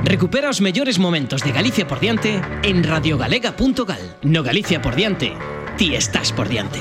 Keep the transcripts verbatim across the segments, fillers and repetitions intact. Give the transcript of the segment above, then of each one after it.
Recupera os mellores momentos de Galicia por diante en radiogalega punto gal. No Galicia por diante, ti estás por diante.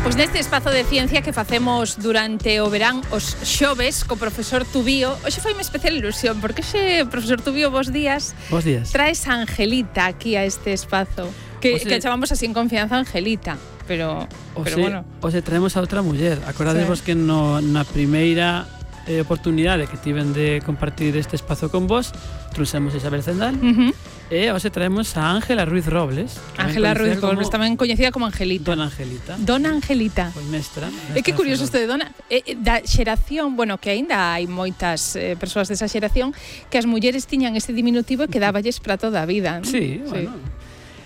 Pois neste espazo de ciencia que facemos durante o verán os xoves co profesor Tubío, hoxe foi unha especial ilusión, porque xe, profesor Tubío, bos días. Bos días. Traes a Angelita aquí a este espazo, que, Ose, que chamamos así en confianza Angelita, pero, pero ose, bueno. Ose traemos a outra muller. Acordadevos sí. que no, na primeira eh, oportunidade que tiven de compartir este espazo con vos, trouxemos a Isabel Zendal, uh-huh. E hoxe traemos a Ángela Ruiz Robles. Ángela Ruiz Robles, tamén coñecida como Angelita. Dona Angelita. Dona Angelita. Pois mestra. É que curioso isto de Dona. Eh, da xeración, bueno, que aínda hai moitas eh, persoas desa xeración que as mulleres tiñan este diminutivo e quedáballes para toda a vida, ¿no? Sí, sí. Bueno.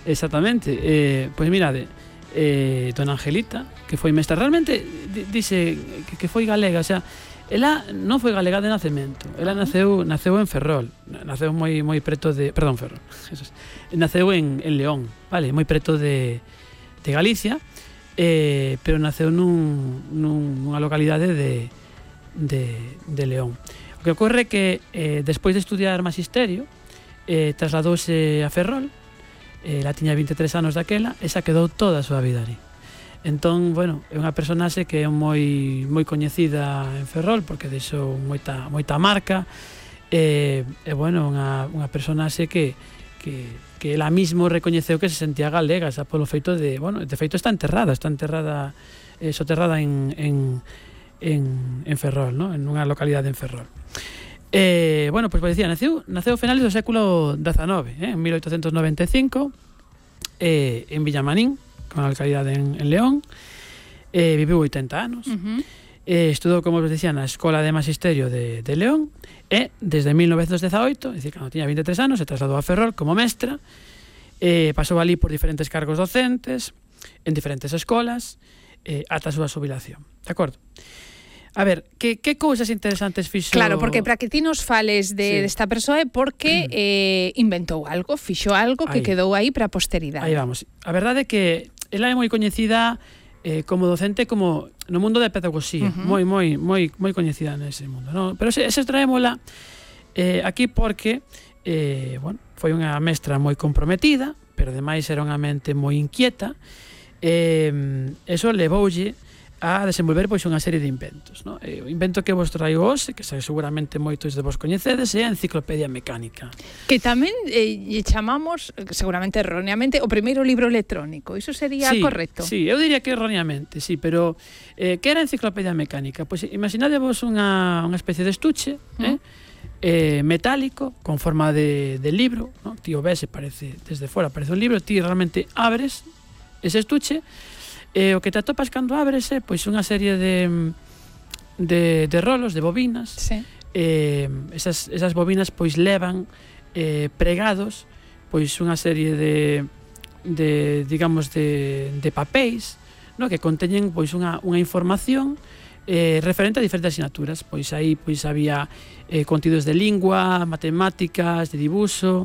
Exactamente. Eh, pois mirade, eh, Dona Angelita, que foi mestra, realmente dice que, que foi galega, o sea, ela non foi galega de nacemento. Ela naceu naceu en Ferrol, naceu moi moi preto de, perdón, Ferrol. Naceu en en León, vale, moi preto de de Galicia, eh, pero naceu nun, nun nunha localidade de de de León. O que ocorre que eh, despois de estudiar magisterio, eh, trasladouse a Ferrol. Ela tiña vinte e tres anos daquela e xa quedou toda a súa vida ali. Entón, bueno, é unha personaxe que é moi moi coñecida en Ferrol porque deixou moita moita marca. E, e bueno, unha unha personaxe que que que ela mismo recoñeceu que se sentía galega, xa polo feito de, bueno, de feito está enterrada, está enterrada eh, soterrada en en en en Ferrol, ¿no? En unha localidade en Ferrol. Eh, bueno, pois pues, decía, naceu naceu a finales do século dezanove, eh, en mil oitocentos noventa e cinco, eh, en Villamarín, con a localidade en, en León. Eh, viviu oitenta anos. Uh-huh. Eh, estudou, como vos decía, na Escola de Magisterio de, de León e desde mil novecentos dezaoito, é dicir, cando tiña vinte e tres anos, se trasladou a Ferrol como mestra. Eh, pasou ali por diferentes cargos docentes en diferentes escolas eh, ata a súa xubilación. De acordo? A ver, que, que cousas interesantes fixo... Claro, porque para que ti nos fales de, sí. desta persoa é porque eh, inventou algo, fixo algo que aí. Quedou aí para a posteridade. Aí vamos. A verdade é que ela é moi coñecida eh, como docente como no mundo da pedagogía, uh-huh. moi moi moi moi coñecida nese mundo, no? Pero ese, ese traémola eh, aquí porque eh, bueno, foi unha mestra moi comprometida, pero ademais era unha mente moi inquieta. Eh, eso levoulle a desenvolver pois unha serie de inventos, no? Eh, o invento que vos traigo hoxe, que seguramente moitos de vos coñecedes, é a Enciclopedia Mecánica. Que tamén eh, chamamos, seguramente erróneamente, o primeiro libro electrónico. Iso sería sí, correcto? Sí, eu diría que erróneamente, sí, pero eh, que era a Enciclopedia Mecánica? Pois imaginadevos unha, unha especie de estuche, uh-huh. eh, eh, metálico, con forma de, de libro, no? Ti o ves e parece, desde fora parece un libro, ti realmente abres ese estuche. E o que te atopas cando abres é pois unha serie de de, de rolos, de bobinas. Sí. Eh, esas, esas bobinas pois levan eh, pregados pois unha serie de de digamos de, de papéis, no, que conteñen pois unha, unha información eh, referente a diferentes asignaturas. Pois aí pois había eh, contidos de lingua, matemáticas, de dibuixo.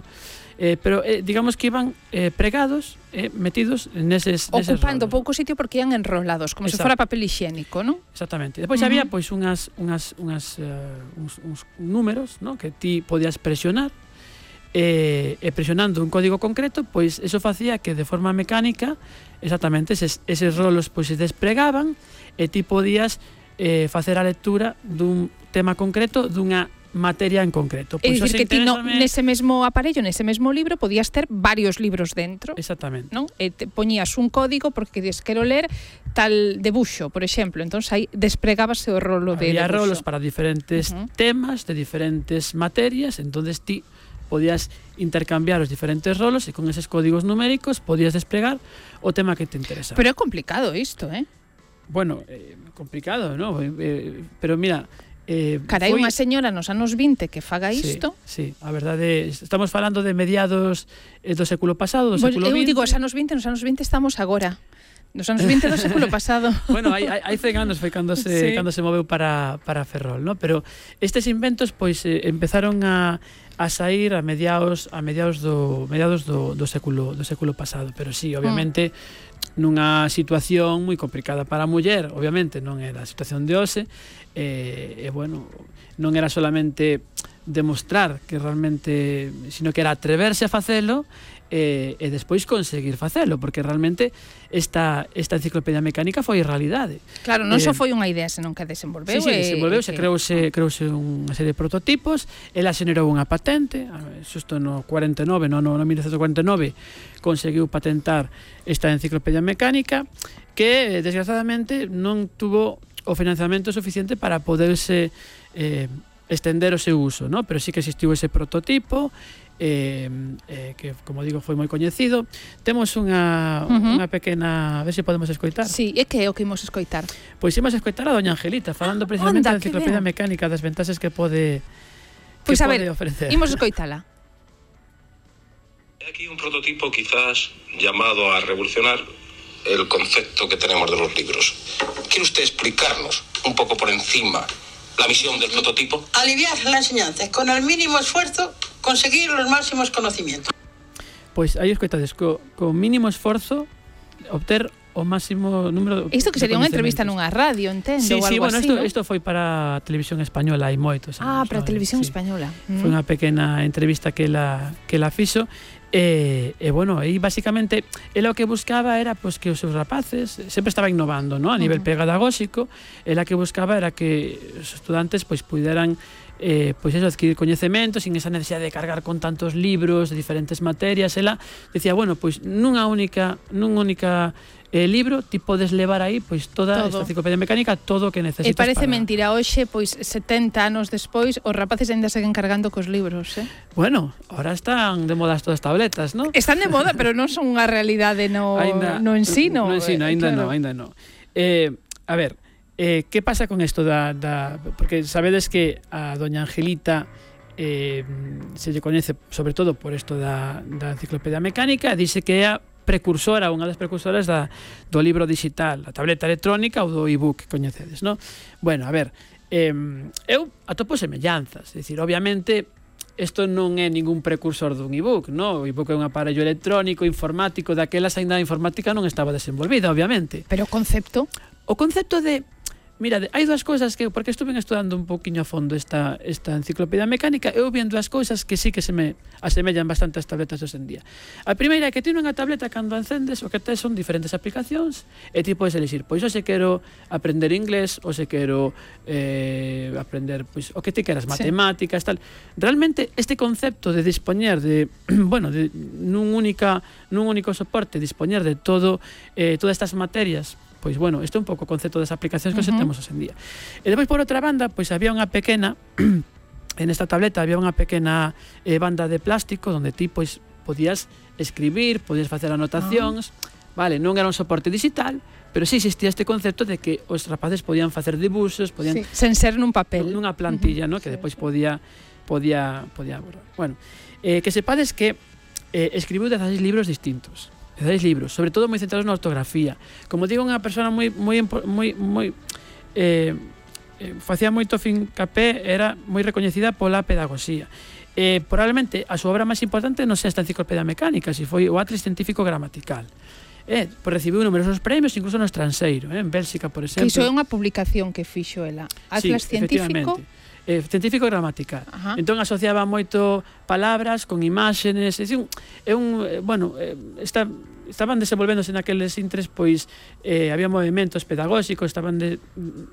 Eh, pero eh, digamos que iban eh, pregados, eh, metidos neses, neses ocupando rolos. Pouco sitio porque ian enrolados, como Exacto. se fora papel higiénico, ¿no? Exactamente. Depois uh-huh. había pois unhas unhas unhas uh, uns, uns números, ¿no? Que ti podías presionar e, e presionando un código concreto, pois eso facía que de forma mecánica exactamente eses, eses rolos pois se despregaban e ti podías eh, facer a lectura dun tema concreto dunha materia en concreto. É dicir, que ti no, nese mesmo aparello, nese mesmo libro, podías ter varios libros dentro. Exactamente. Non? E te poñías un código porque dices, quero ler tal debuxo, por exemplo. Entón, aí despregábase o rolo de Había debuxo. rolos para diferentes uh-huh. temas, de diferentes materias, entonces ti podías intercambiar os diferentes rolos e con eses códigos numéricos podías desplegar o tema que te interesaba. Pero é complicado isto, eh? Bueno, eh, complicado, ¿no? Eh, pero mira... Eh, Carai, foi... unha señora nos anos vinte que faga isto. Sí, sí, a verdade, estamos falando de mediados eh, do século pasado, do pues, século eu vinte. Eu digo, os anos vinte, nos anos vinte estamos agora. Nos anos vinte do século pasado. Bueno, hai, hai, hai cen anos foi cando se, sí. cando se moveu para, para Ferrol, ¿no? Pero estes inventos, pois, eh, empezaron a, a sair a mediados a mediados do mediados do, do século do século pasado, pero sí, obviamente mm. nunha situación moi complicada para a muller, obviamente non era a situación de hoxe, e, e bueno, non era solamente demostrar que realmente, sino que era atreverse a facelo e, e despois conseguir facelo, porque realmente esta, esta enciclopedia mecánica foi realidade. Claro, non eh, só foi unha idea, senón que desenvolveu. Sí, sí, e, desenvolveuse, que... creouse, creouse unha serie de prototipos, ela xenerou unha patente, xusto no cuarenta e nove, no, no, no mil novecentos cuarenta e nove, conseguiu patentar esta enciclopedia mecánica, que desgraciadamente non tuvo o financiamento suficiente para poderse eh, estender o seu uso, ¿no? Pero sí que existiu ese prototipo, eh, eh, que, como digo, foi moi coñecido. Temos unha, uh-huh. unha pequena... A ver se podemos escoitar. Sí, e que é o que imos escoitar? Pois imos escoitar a doña Angelita, falando precisamente da enciclopedia mecánica, das ventaxes que pode, que pois a pode ver, ofrecer. Imos escoitala. Aquí un prototipo quizás llamado a revolucionar el concepto que tenemos de los libros. ¿Quiere usted explicarnos un poco por encima la misión del prototipo? Aliviar la enseñanza, con el mínimo esfuerzo conseguir los máximos conocimientos. Pois aí escoitades, co, co mínimo esforzo obter o máximo número de Isto que sería unha entrevista nunha radio, entendo, sí, ou sí, algo bueno, así, isto, ¿no? isto foi para a televisión española hai moitos anos. Ah, para a televisión sí. española. Mm. Foi unha pequena entrevista que la, que la fixo. E, e bueno, aí basicamente ela o que buscaba era pois, que os seus rapaces sempre estaba innovando, ¿no? A nivel uh-huh. pedagóxico, ela que buscaba era que os estudantes pois puderan eh, pois eso, adquirir coñecementos sin esa necesidade de cargar con tantos libros de diferentes materias. Ela decía, bueno, pois nunha única nunha única eh, libro ti podes levar aí pois toda todo. Esta enciclopedia mecánica, todo o que necesitas. E parece para... mentira, hoxe, pois setenta anos despois, os rapaces ainda seguen cargando cos libros, eh? Bueno, ahora están de moda todas as tabletas, ¿no? Están de moda, pero non son unha realidade no, ainda, no ensino. No ensino, ainda claro. non, ainda non. Eh, a ver, eh, que pasa con isto da, da... Porque sabedes que a doña Angelita eh, se lle coñece sobre todo por isto da, da enciclopedia mecánica, dice que é a precursora, unha das precursoras da, do libro digital, a tableta electrónica ou do e-book, coñecedes, non? Bueno, a ver, eh, eu atopo semellanzas, é dicir, obviamente isto non é ningún precursor dun e-book, non? O e-book é un aparello electrónico, informático, daquelas ainda a informática non estaba desenvolvida, obviamente. Pero o concepto? O concepto de... Mira, hai dúas cousas que, porque estuve estudando un poquinho a fondo esta, esta enciclopedia mecánica, eu vi dúas cousas que sí que se me asemellan bastante ás tabletas hoxe en día. A primeira é que ti nunha tableta, cando encendes, o que tes son diferentes aplicacións, e ti podes elixir, pois hoxe quero aprender inglés, hoxe quero eh, aprender, pois, o que ti queras, matemáticas, sí. tal. Realmente, este concepto de dispoñer de, bueno, de, nun, única, nun único soporte, dispoñer de todo, eh, todas estas materias, pois bueno, isto é un pouco o concepto das aplicacións que uh-huh. temos hoxe en día. E depois, por outra banda, pois había unha pequena en esta tableta había unha pequena eh, banda de plástico onde ti pois podías escribir, podías facer anotacións, uh-huh. vale, non era un soporte digital, pero sí existía este concepto de que os rapaces podían facer dibuxos, podían sí, sen ser nun papel, nunha plantilla, uh-huh. no? Que sí. Depois podía podía podía borrar. Bueno, eh, que sepades que eh, escribiu dezasseis libros distintos. dezasseis libros, sobre todo moi centrados na ortografía. Como digo, unha persona moi moi moi moi eh, eh facía moito fincapé, era moi recoñecida pola pedagogía. Eh, probablemente a súa obra máis importante non sea esta enciclopedia mecánica, si foi o Atlas Científico Gramatical. Eh, por recibiu numerosos premios, incluso no estranxeiro, eh, en Bélxica, por exemplo. Que iso é unha publicación que fixo ela. Atlas sí, Científico Eh, científico gramatical. Ajá. Entón asociaba moito palabras con imágenes, é un, é un eh, bueno, eh, está, estaban desenvolvéndose naqueles intres, pois eh, había movimentos pedagóxicos, estaban de,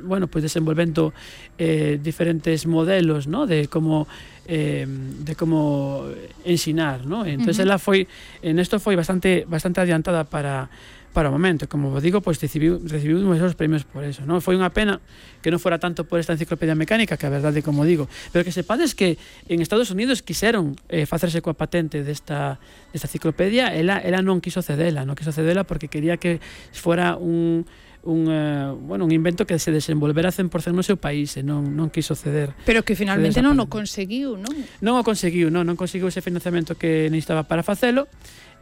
bueno, pois desenvolvendo eh, diferentes modelos, ¿no? De como eh, de como ensinar, ¿no? Entonces uh-huh. ela foi en isto foi bastante bastante adiantada para para o momento, como vos digo, pois recibiu, recibiu numerosos premios por eso, non? Foi unha pena que non fora tanto por esta enciclopedia mecánica, que a verdade, como digo, pero que sepades que en Estados Unidos quixeron eh, facerse coa patente desta, desta enciclopedia, ela, ela non quiso cedela, non quiso cedela porque quería que fora un un, uh, bueno, un invento que se desenvolvera cen por cento no seu país e non, non quiso ceder. Pero que finalmente non o conseguiu, non? Non o conseguiu, non, non conseguiu ese financiamento que necesitaba para facelo.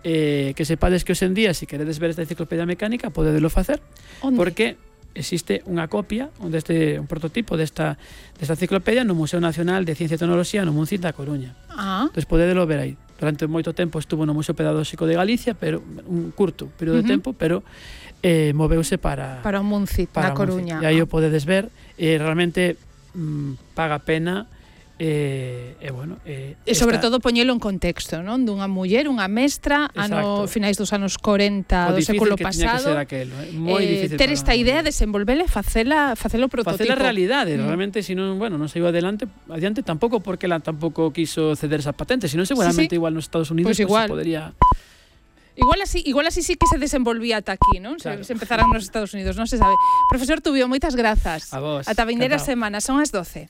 Eh, que sepades que hoxe en día, se si queredes ver esta enciclopedia mecánica, podedelo facer. Onde? Porque existe unha copia deste un prototipo desta desta enciclopedia no Museo Nacional de Ciencia e Tecnoloxía no Muncín da Coruña. Ah. Entón podedelo ver aí. Durante moito tempo estuvo no Museo Pedagóxico de Galicia, pero un curto período uh -huh. de tempo, pero eh, moveuse para para o Muncín da Coruña. E aí o podedes ver, e eh, realmente mm, paga pena. E, eh, bueno, eh, e sobre esta... todo poñelo en contexto, non? Dunha muller, unha mestra, ano finais dos anos corenta do século pasado. Aquelo, eh? Moi eh, difícil ter esta idea, desenvolvela e facela, facelo prototipo. Facela realidade, mm. realmente, si non, bueno, non saiu adelante, adiante tampouco porque ela tampouco quiso ceder esa patente, sino seguramente sí, sí. igual nos Estados Unidos pues igual. Pues, podría... Igual así, igual así sí que se desenvolvía ata aquí, non? Claro. Se, se empezaran nos Estados Unidos, non se sabe. Profesor Tubío, moitas grazas. A vos. Ata vindeira semana, son as doce.